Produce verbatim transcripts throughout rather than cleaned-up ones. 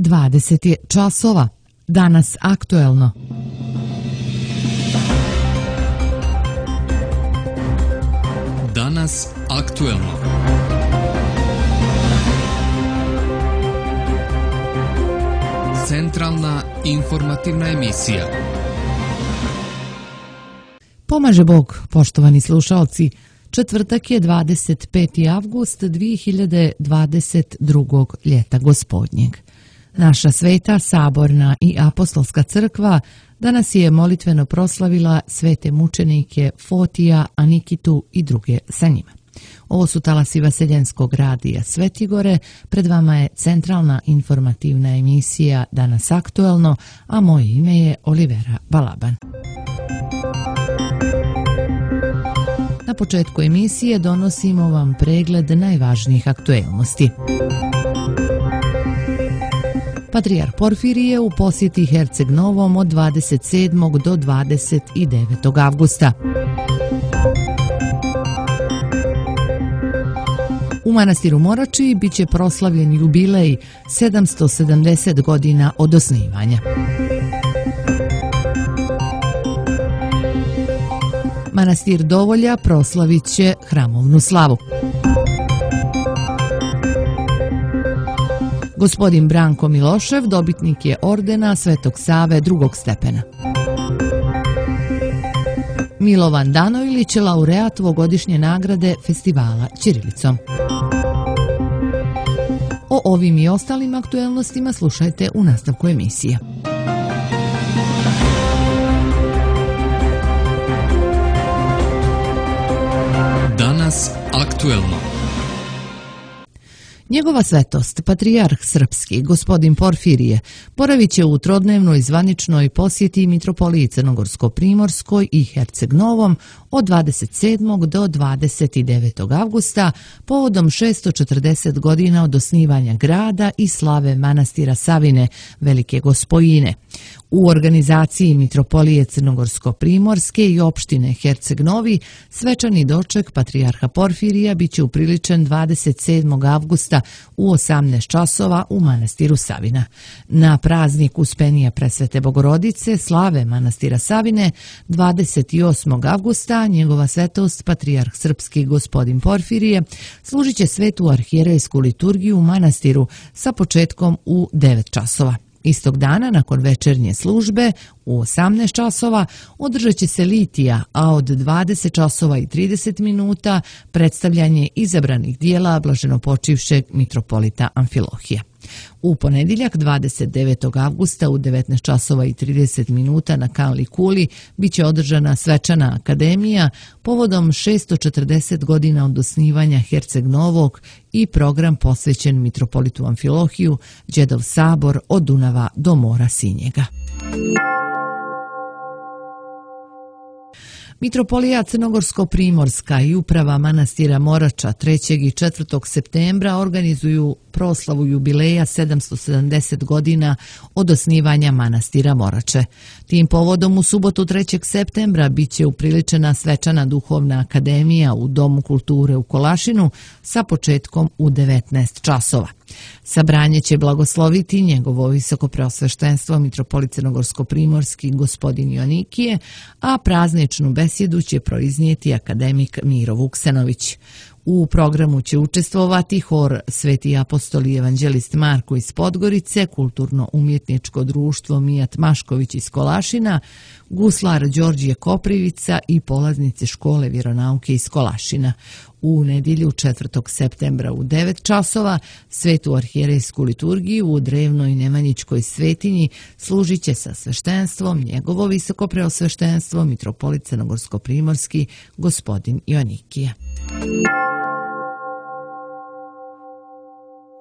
dvadeset je časova. Danas aktuelno. Danas aktuelno. Centralna informativna emisija. Pomaže Bog, poštovani slušalci. Četvrtak je dvadeset peti avgust dvije hiljade dvadeset drugog ljeta gospodnjeg. Naša sveta, saborna i apostolska crkva danas je molitveno proslavila svete mučenike Fotija, Anikitu i druge sa njima. Ovo su talasi Vaseljenskog radija Svetigore, pred vama je centralna informativna emisija Danas aktuelno, a moje ime je Olivera Balaban. Na početku emisije donosimo vam pregled najvažnijih aktuelnosti. Patrijarh Porfirije u posjeti Herceg Novom od dvadeset sedmog do dvadeset devetog avgusta. U manastiru Morači biće proslavljen jubilej sedamsto sedamdeset godina od osnivanja. Manastir Dovolja proslavit će hramovnu slavu. Gospodin Branko Milošev dobitnik je ordena Svetog Save drugog stepena. Milovan Danojlić je laureat ovogodišnje nagrade festivala ćirilicom. O ovim i ostalim aktuelnostima slušajte u nastavku emisije. Danas aktuelno. Njegova svetost, patrijarh srpski, gospodin Porfirije, boravit će u trodnevnoj zvaničnoj posjeti mitropoliji Crnogorsko-Primorskoj i Herceg Novom od dvadeset sedmog do dvadeset devetog avgusta povodom šessto četrdeset godina od osnivanja grada i slave manastira Savine, Velike Gospojine. U organizaciji mitropolije Crnogorsko-Primorske i opštine Herceg Novi svečani doček patrijarha Porfirija biće upriličen dvadeset sedmog avgusta u osamnaest časova u manastiru Savina. Na praznik Uspenija Presvete Bogorodice slave manastira Savine dvadeset osmog avgusta njegova svetost patrijarh srpski gospodin Porfirije služit će svetu arhijerejsku liturgiju u manastiru sa početkom u devet časova. Istog dana, nakon večernje službe, u osamnaest časova održat će se litija, a od dvadeset časova i trideset minuta predstavljanje izabranih dijela blaženopočivšeg mitropolita Amfilohija. U ponedjeljak dvadeset devetog avgusta u devetnaest časova i trideset minuta na Kanli Kuli biće održana svečana akademija povodom šessto četrdeset godina od osnivanja Herceg Novog i program posvećen mitropolitu Amfilohiju, Đedov sabor od Dunava do mora Sinjega. Mitropolija Crnogorsko-Primorska i uprava manastira Morača trećeg i četvrtog septembra organizuju proslavu jubileja sedamsto sedamdeset godina od osnivanja manastira Morače. Tim povodom u subotu trećeg septembra biće upriličena svečana duhovna akademija u Domu kulture u Kolašinu sa početkom u devetnaest časova. Sabranje će blagosloviti njegovo visokopreosveštenstvo mitropolit Crnogorsko-Primorski gospodin Joanikije, a prazničnu besjedu će proiznijeti akademik Miro Vuksanović. U programu će učestvovati hor Sveti apostol i evanđelist Marko iz Podgorice, kulturno-umjetničko društvo Mijat Mašković iz Kolašina, guslar Đorđije Koprivica i polaznice škole vjeronauke iz Kolašina. U nedjelju četvrtog septembra u devet časova svetu arhijerejsku liturgiju u drevnoj Nemanjićkoj svetinji služit će sa sveštenstvom njegovo visokopreosveštenstvo mitropolit Crnogorsko-Primorski gospodin Joanikije.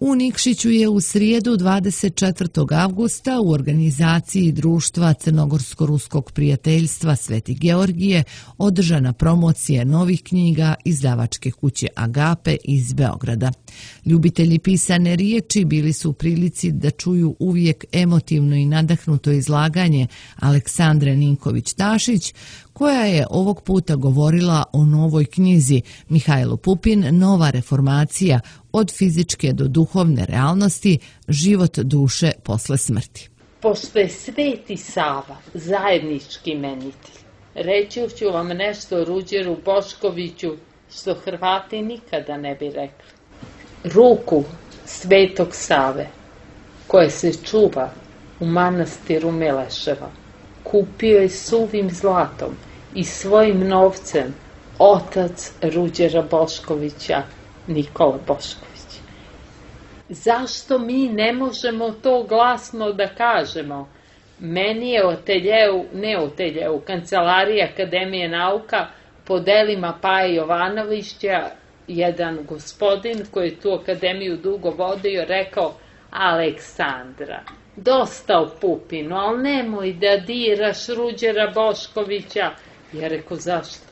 U Nikšiću je u srijedu dvadeset četvrtog avgusta u organizaciji Društva Crnogorsko-Ruskog prijateljstva Sveti Georgije održana promocija novih knjiga izdavačke kuće Agape iz Beograda. Ljubitelji pisane riječi bili su u prilici da čuju uvijek emotivno i nadahnuto izlaganje Aleksandre Ninković-Tašić, koja je ovog puta govorila o novoj knjizi Mihajlo Pupin, Nova reformacija od fizičke do duhovne realnosti, život duše posle smrti. Pošto je Sveti Sava zajednički imenitelj, reći ću vam nešto o Ruđeru Boškoviću što Hrvati nikada ne bi rekli. Ruku Svetog Save, koje se čuva u manastiru Mileševa, kupio je suvim zlatom i svojim novcem otac Ruđera Boškovića, Nikola Bošković. Zašto mi ne možemo to glasno da kažemo? Meni je u ateljeu, ne u ateljeu, kancelariji Akademije nauka po delima Paje Jovanovića, jedan gospodin koji je tu akademiju dugo vodio, rekao: Aleksandra, dosta o Pupinu, ali nemoj da diraš Ruđera Boškovića. Ja rekao: zašto?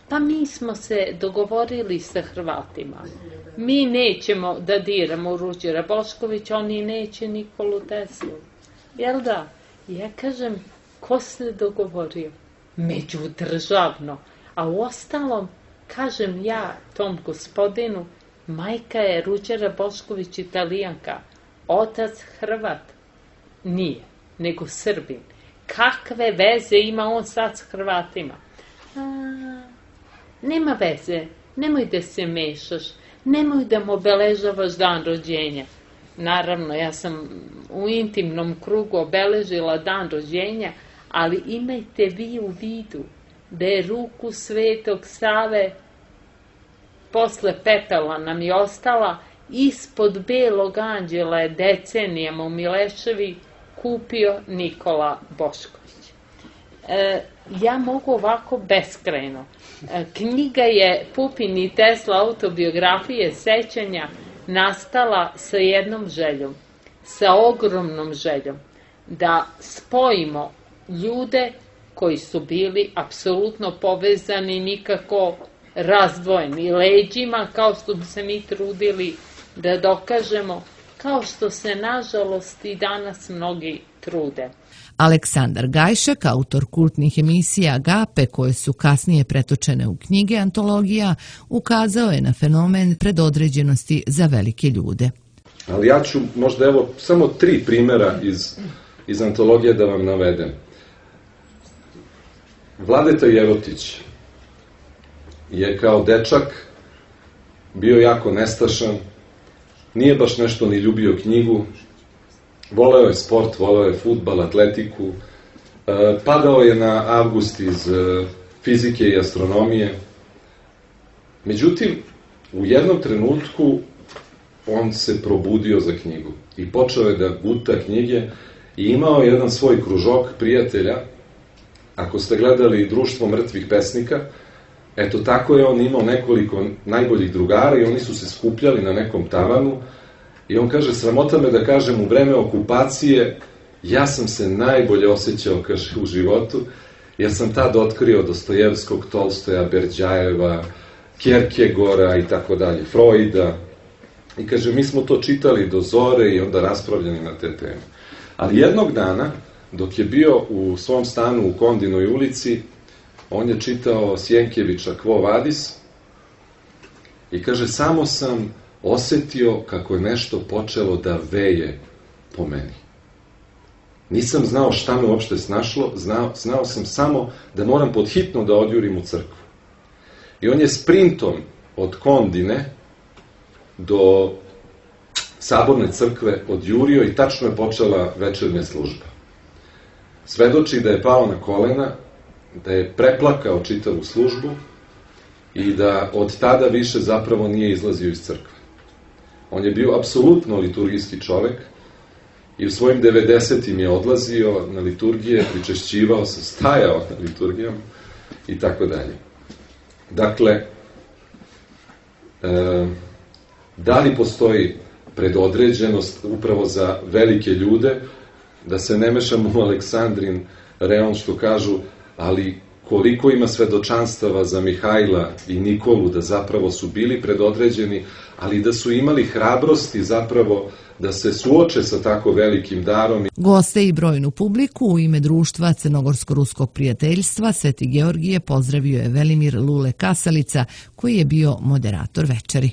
Pa mi smo se dogovorili sa Hrvatima. Mi nećemo da diramo Ruđera Boškovića, oni neće Nikolu Teslu. Jel da? Ja kažem, ko se dogovorio? Međudržavno. A u ostalom, kažem ja tom gospodinu, majka je Ruđera Bošković Italijanka, otac Hrvat. Nije, nego Srbin. Kakve veze ima on sad s Hrvatima? A, nema veze, nemoj da se mešaš, nemoj da mu obeležavaš dan rođenja. Naravno, ja sam u intimnom krugu obeležila dan rođenja, ali imajte vi u vidu da je ruku Svetog Save, posle pepela nam je ostala, ispod Belog anđela je decenijama u Mileševi kupio Nikola Bošković. E, ja mogu ovako beskrajno. E, knjiga je Pupin i Tesla autobiografije sećanja nastala sa jednom željom, sa ogromnom željom, da spojimo ljude koji su bili apsolutno povezani, nikako razdvojeni leđima, kao što bi se mi trudili da dokažemo, kao što se nažalost i danas mnogi trude. Aleksandar Gajšek, autor kultnih emisija Agape, koje su kasnije pretočene u knjige antologija, ukazao je na fenomen predodređenosti za velike ljude. Ali ja ću možda evo samo tri primjera iz, iz antologije da vam navedem. Vladeta Jerotić je kao dečak bio jako nestašan, nije baš nešto ni ljubio knjigu, voleo je sport, voleo je fudbal, atletiku, padao je na Avgust iz fizike i astronomije. Međutim, u jednom trenutku on se probudio za knjigu i počeo je da guta knjige i imao jedan svoj kružok prijatelja. Ako ste gledali Društvo mrtvih pesnika, eto tako je on imao nekoliko najboljih drugara i oni su se skupljali na nekom tavanu i on kaže, sramota me da kažem, u vreme okupacije ja sam se najbolje osjećao, kaže, u životu, jer sam tad otkrio Dostojevskog, Tolstoja, Berdjajeva, Kierkegaarda i tako dalje, Freuda. I kaže, mi smo to čitali do zore i onda raspravljali na te teme. Ali jednog dana, dok je bio u svom stanu u Kondinoj ulici, on je čitao Sjenkevića Quo Vadis i kaže, samo sam osetio kako je nešto počelo da veje po meni. Nisam znao šta me uopšte snašlo, znao, znao sam samo da moram podhitno da odjurim u crkvu. I on je sprintom od Kondine do Saborne crkve odjurio i tačno je počela večernja služba. Svedoči da je pao na kolena, da je preplakao čitavu službu i da od tada više zapravo nije izlazio iz crkve. On je bio apsolutno liturgijski čovek i u svojim devedesetim je odlazio na liturgije, pričešćivao se, stajao na liturgijama i tako dalje. Dakle, e, da li postoji predodređenost upravo za velike ljude, da se ne mešamo u Aleksandrin reon što kažu, ali koliko ima svedočanstava za Mihajla i Nikolu da zapravo su bili predodređeni, ali da su imali hrabrosti zapravo da se suoče sa tako velikim darom. Goste i brojnu publiku u ime društva Crnogorsko-ruskog prijateljstva Sveti Georgije pozdravio je Velimir Lule Kasalica, koji je bio moderator večeri.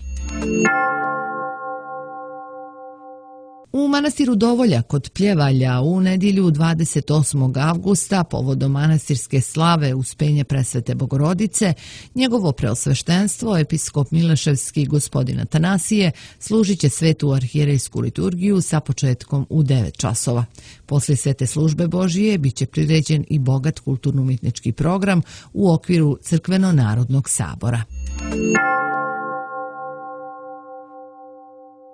U manastiru Dovolja kod Pljevalja u nedjelju dvadeset osmog avgusta povodom manastirske slave Uspenje Presvete Bogorodice, njegovo preosveštenstvo, episkop Mileševski gospodin Atanasije, služit će svetu arhijerejsku liturgiju sa početkom u devet časova. Poslije svete službe Božije bit će priređen i bogat kulturno-umjetnički program u okviru Crkveno-narodnog sabora.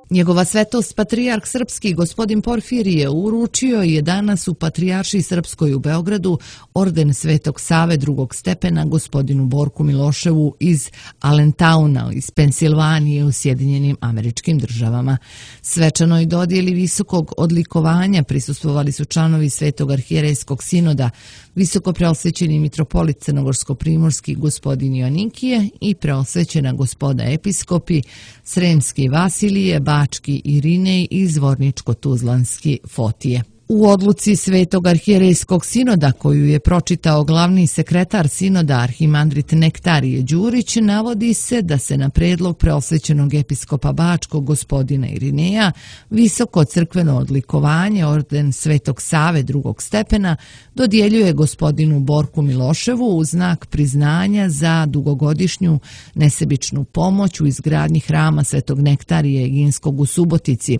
Njegova svetost patrijarh srpski gospodin Porfirije uručio je danas u Patrijaršiji srpskoj u Beogradu orden Svetog Save drugog stepena gospodinu Borku Miloševu iz Allentauna iz Pensilvanije u Sjedinjenim Američkim Državama. Svečanoj dodjeli visokog odlikovanja prisustvovali su članovi Svetog arhijerejskog sinoda, visoko preosvećeni mitropolit crnogorsko-primorski gospodin Joanikije i preosvećena gospoda episkopi Sremski Vasilije, Bački Irinej i Zvorničko-Tuzlanski Fotije. U odluci Svetog arhijerejskog sinoda, koju je pročitao glavni sekretar sinoda arhimandrit Nektarije Đurić, navodi se da se na predlog preosvećenog episkopa Bačkog gospodina Irineja visoko crkveno odlikovanje orden Svetog Save drugog stepena dodjeljuje gospodinu Borku Miloševu u znak priznanja za dugogodišnju nesebičnu pomoć u izgradnji hrama Svetog Nektarije Eginskog u Subotici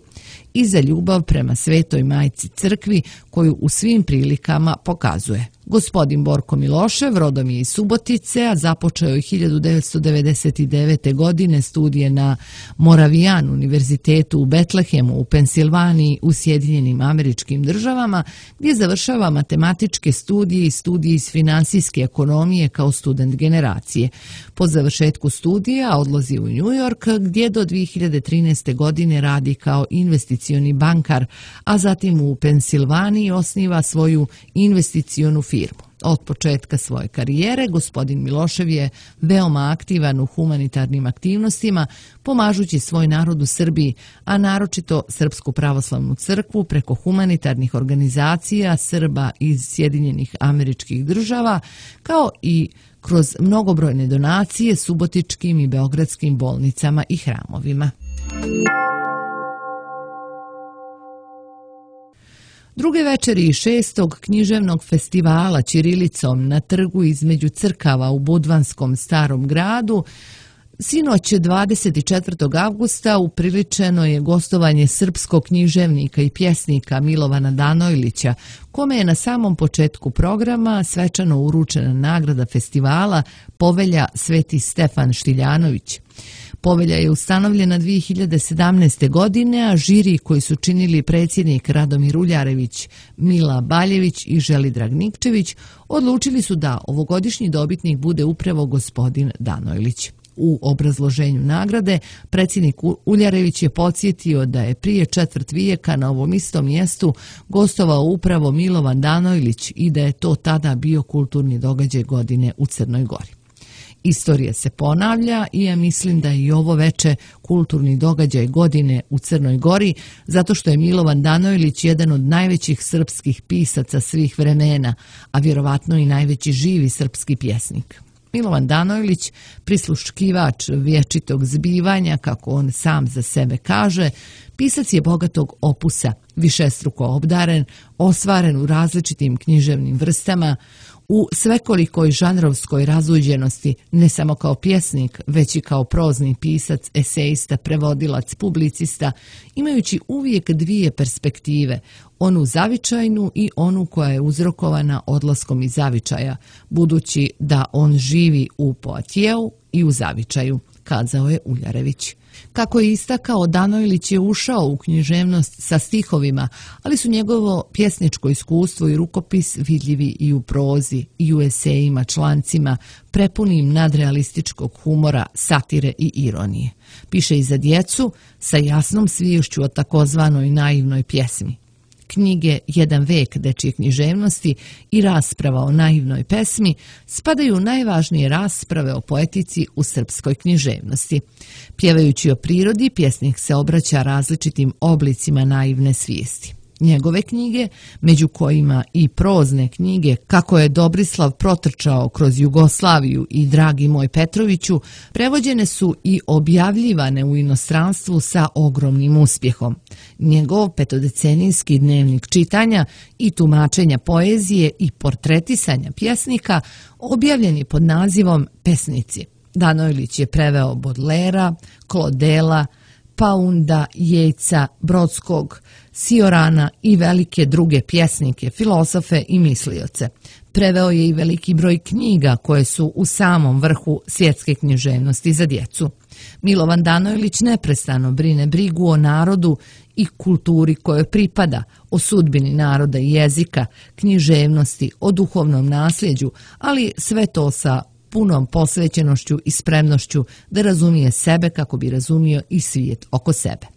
i za ljubav prema Svetoj Majci Crkvi koju u svim prilikama pokazuje. Gospodin Borko Milošev rodom je iz Subotice, a započeo je hiljadu devetsto devedeset devete. godine studije na Moravian univerzitetu u Betlehemu u Pensilvaniji u Sjedinjenim Američkim Državama, gdje završava matematičke studije i studije iz finansijske ekonomije kao student generacije. Po završetku studija odlazi u New York, gdje do dvije hiljade trinaeste. godine radi kao investicioni bankar, a zatim u Pensilvaniji osniva svoju investicionu firmu. Od početka svoje karijere gospodin Milošev je veoma aktivan u humanitarnim aktivnostima, pomažući svoj narod u Srbiji, a naročito Srpsku pravoslavnu crkvu preko humanitarnih organizacija Srba iz Sjedinjenih Američkih Država, kao i kroz mnogobrojne donacije subotičkim i beogradskim bolnicama i hramovima. Druge večeri šestog književnog festivala ćirilicom na trgu između crkava u Budvanskom Starom gradu sinoć dvadeset četvrtog avgusta upriličeno je gostovanje srpskog književnika i pjesnika Milovana Danojlića, kome je na samom početku programa svečano uručena nagrada festivala Povelja Sveti Stefan Štiljanović. Povelja je ustanovljena dvije hiljade sedamnaeste. godine, a žiri koji su činili predsjednik Radomir Uljarević, Mila Baljević i Želidrag Nikčević odlučili su da ovogodišnji dobitnik bude upravo gospodin Danojlić. U obrazloženju nagrade predsjednik Uljarević je podsjetio da je prije četvrt vijeka na ovom istom mjestu gostovao upravo Milovan Danojlić i da je to tada bio kulturni događaj godine u Crnoj Gori. Istorija se ponavlja i ja mislim da je i ovo veče kulturni događaj godine u Crnoj Gori, zato što je Milovan Danojlić jedan od najvećih srpskih pisaca svih vremena, a vjerovatno i najveći živi srpski pjesnik. Milovan Danojlić, prisluškivač vječitog zbivanja, kako on sam za sebe kaže, pisac je bogatog opusa, višestruko obdaren, ostvaren u različitim književnim vrstama, u svekolikoj žanrovskoj razuđenosti, ne samo kao pjesnik, već i kao prozni pisac, esejista, prevodilac, publicista, imajući uvijek dvije perspektive, onu zavičajnu i onu koja je uzrokovana odlaskom iz zavičaja, budući da on živi u Poatijeu i u zavičaju, kazao je Uljarević. Kako je istakao, Danojlić je ušao u književnost sa stihovima, ali su njegovo pjesničko iskustvo i rukopis vidljivi i u prozi, i u esejima, člancima, prepunim nadrealističkog humora, satire i ironije. Piše i za djecu sa jasnom sviješću o takozvanoj naivnoj pjesmi. Knjige Jedan vek dečje književnosti i rasprava o naivnoj pesmi spadaju u najvažnije rasprave o poetici u srpskoj književnosti. Pjevajući o prirodi, pjesnik se obraća različitim oblicima naivne svijesti. Njegove knjige, među kojima i prozne knjige Kako je Dobrislav protrčao kroz Jugoslaviju i Dragi moj Petroviću, prevođene su i objavljivane u inostranstvu sa ogromnim uspjehom. Njegov petodecenijski dnevnik čitanja i tumačenja poezije i portretisanja pjesnika objavljen je pod nazivom Pesnici. Danojlić je preveo Bodlera, Klodela, Paunda, Jejca, Brodskog, Siorana i velike druge pjesnike, filozofe i mislioce. Preveo je i veliki broj knjiga koje su u samom vrhu svjetske književnosti za djecu. Milovan Danojlić neprestano brine brigu o narodu i kulturi kojoj pripada, o sudbini naroda i jezika, književnosti, o duhovnom nasljeđu, ali sve to sa punom posvećenošću i spremnošću da razumije sebe kako bi razumio i svijet oko sebe.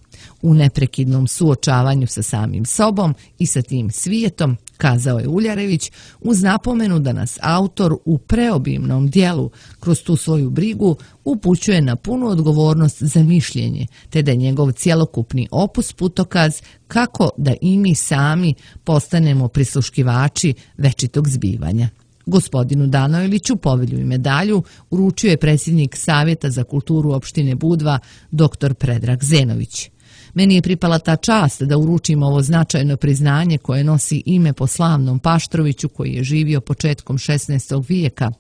U neprekidnom suočavanju sa samim sobom i sa tim svijetom, kazao je Uljarević, uz napomenu da nas autor u preobimnom dijelu kroz tu svoju brigu upućuje na punu odgovornost za mišljenje, te da je njegov cjelokupni opus putokaz kako da i mi sami postanemo prisluškivači večitog zbivanja. Gospodinu Danojliću povelju i medalju uručio je predsjednik Savjeta za kulturu opštine Budva, doktor Predrag Zenović. Meni je pripala ta čast da uručim ovo značajno priznanje koje nosi ime po slavnom Paštroviću koji je živio početkom šesnaestog vijeka,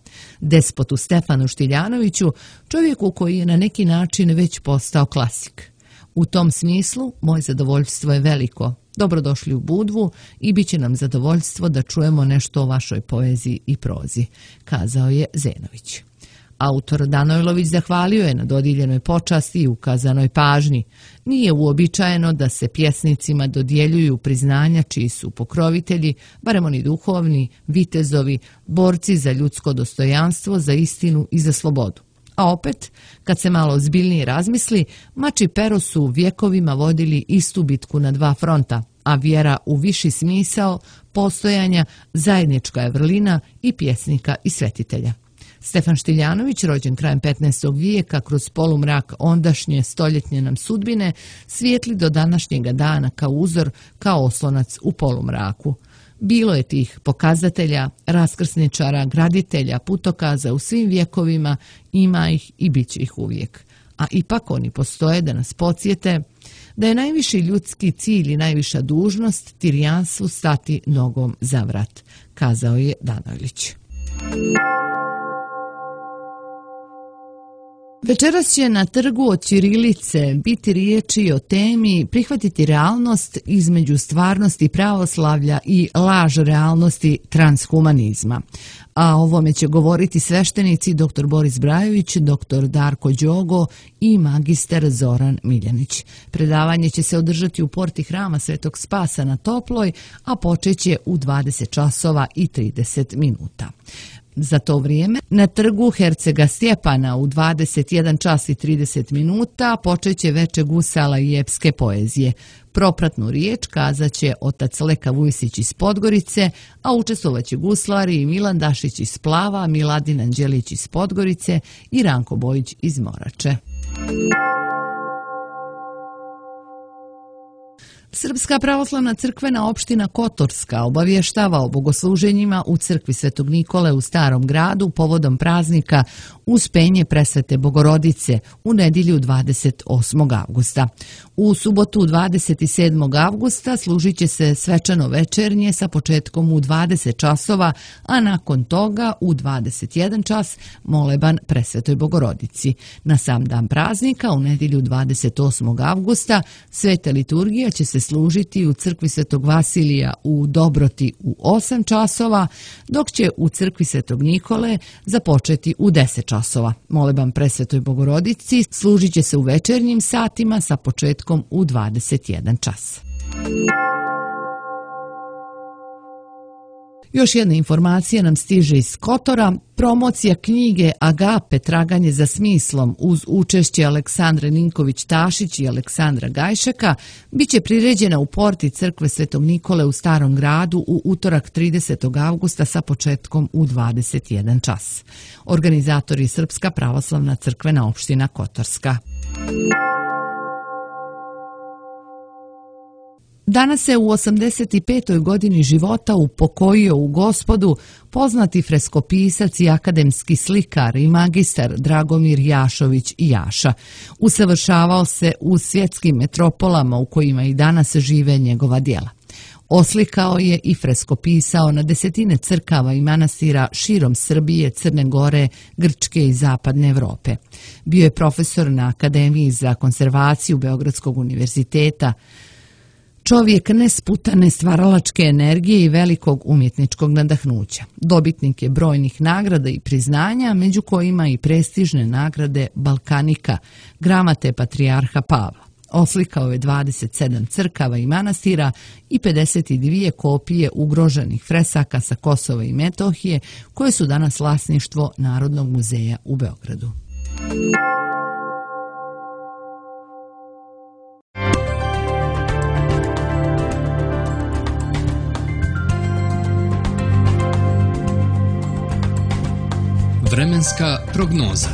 despotu Stefanu Štiljanoviću, čovjeku koji je na neki način već postao klasik. U tom smislu, moje zadovoljstvo je veliko. Dobrodošli u Budvu i bit će nam zadovoljstvo da čujemo nešto o vašoj poeziji i prozi, kazao je Zenović. Autor Danojlović zahvalio je na dodijeljenoj počasti i ukazanoj pažnji. Nije uobičajeno da se pjesnicima dodjeljuju priznanja čiji su pokrovitelji, barem oni duhovni, vitezovi, borci za ljudsko dostojanstvo, za istinu i za slobodu. A opet, kad se malo ozbiljnije razmisli, mač i pero su vjekovima vodili istu bitku na dva fronta, a vjera u viši smisao postojanja zajednička je vrlina i pjesnika i svetitelja. Stefan Štiljanović, rođen krajem petnaestog vijeka, kroz polumrak ondašnje stoljetnje nam sudbine, svijetli do današnjega dana kao uzor, kao oslonac u polumraku. Bilo je tih pokazatelja, raskrsničara, graditelja, putokaza u svim vjekovima, ima ih i bit će ih uvijek. A ipak oni postoje da nas podsjete da je najviši ljudski cilj i najviša dužnost tirijanstvu stati nogom za vrat, kazao je Danojlić. Večeras će na trgu od ćirilice biti riječi o temi prihvatiti realnost između stvarnosti pravoslavlja i laž realnosti transhumanizma. A o ovome će govoriti sveštenici doktor Boris Brajović, doktor Darko Đogo i magister Zoran Miljanić. Predavanje će se održati u porti hrama Svetog Spasa na Toploj, a počeće u dvadeset časova i trideset minuta. Za to vrijeme na trgu Hercega Stjepana u dvadeset jedan čas i trideset minuta počeće veče gusala i epske poezije. Propratnu riječ kazaće otac Leka Vujsić iz Podgorice, a učestvovaće guslari Milan Dašić iz Plava, Miladin Anđelić iz Podgorice i Ranko Bojić iz Morače. Srpska pravoslavna crkvena opština Kotorska obavještava o bogosluženjima u crkvi Svetog Nikole u Starom gradu povodom praznika Uspenje Presvete Bogorodice u nedjelju dvadeset osmog avgusta. U subotu dvadeset sedmog avgusta služit će se svečano večernje sa početkom u dvadeset časova, a nakon toga u dvadeset jedan čas moleban Presvetoj Bogorodici. Na sam dan praznika u nedjelju dvadeset osmog avgusta sveta liturgija će se služiti u crkvi Svetog Vasilija u Dobroti u osam časova, dok će u crkvi Svetog Nikole započeti u deset časova. Moleban Presvetoj Bogorodici služit će se u večernjim satima sa početkom u dvadeset jedan čas. Još jedna informacija nam stiže iz Kotora. Promocija knjige Agape, traganje za smislom uz učešće Aleksandre Ninković-Tašić i Aleksandra Gajšeka bit će priređena u porti crkve Svetog Nikole u Starom gradu u utorak tridesetog avgusta sa početkom u dvadeset jedan čas. Organizator je Srpska pravoslavna crkvena opština Kotorska. Danas se u osamdeset petoj godini života upokojio u Gospodu poznati freskopisac i akademski slikar i magistar Dragomir Jašović Jaša. Usavršavao se u svjetskim metropolama u kojima i danas žive njegova djela. Oslikao je i freskopisao na desetine crkava i manastira širom Srbije, Crne Gore, Grčke i Zapadne Evrope. Bio je profesor na Akademiji za konzervaciju Beogradskog univerziteta, čovjek nesputane stvaralačke energije i velikog umjetničkog nadahnuća. Dobitnik je brojnih nagrada i priznanja, među kojima i prestižne nagrade Balkanika, gramate Patrijarha Pavla. Oslikao je dvadeset sedam crkava i manastira i pedeset dvije kopije ugroženih fresaka sa Kosova i Metohije, koje su danas vlasništvo Narodnog muzeja u Beogradu. Vremenska prognoza.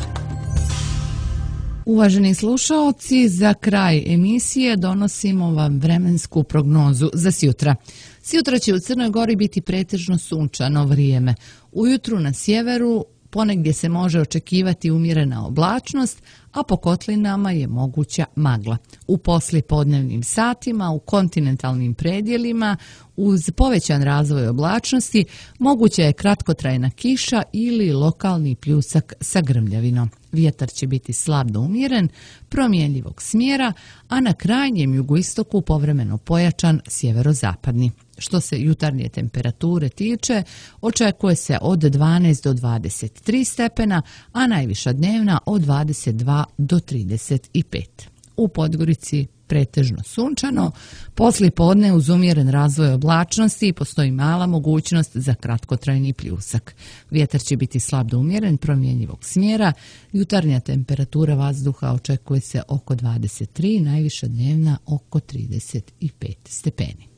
Uvaženi slušaoci, za kraj emisije donosimo vam vremensku prognozu za sjutra. Sjutra će u Crnoj Gori biti pretežno sunčano vrijeme. Ujutru na sjeveru ponegdje se može očekivati umjerena oblačnost, a po kotlinama je moguća magla. U poslijepodnevnim satima u kontinentalnim predjelima uz povećan razvoj oblačnosti moguća je kratkotrajna kiša ili lokalni pljusak sa grmljavinom. Vjetar će biti slab do umjeren, promjenjivog smjera, a na krajnjem jugoistoku povremeno pojačan sjeverozapadni. Što se jutarnje temperature tiče, očekuje se od dvanaest do dvadeset tri stepena, a najviša dnevna od dvadeset dva do trideset pet. U Podgorici pretežno sunčano, poslije podne uz umjeren razvoj oblačnosti postoji mala mogućnost za kratkotrajni pljusak. Vjetar će biti slab do umjeren, promjenjivog smjera, jutarnja temperatura vazduha očekuje se oko dvadeset tri, najviša dnevna oko trideset pet stepeni.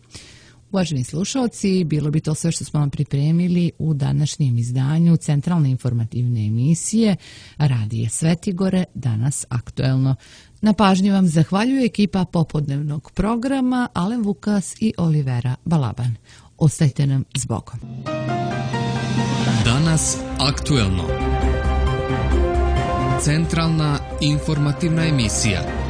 Uvaženi slušalci, bilo bi to sve što smo vam pripremili u današnjem izdanju centralne informativne emisije Radije Svetigore, danas aktuelno. Na pažnji vam zahvaljuje ekipa popodnevnog programa Alen Vukas i Olivera Balaban. Ostajte nam s Bogom. Danas aktuelno. Centralna informativna emisija.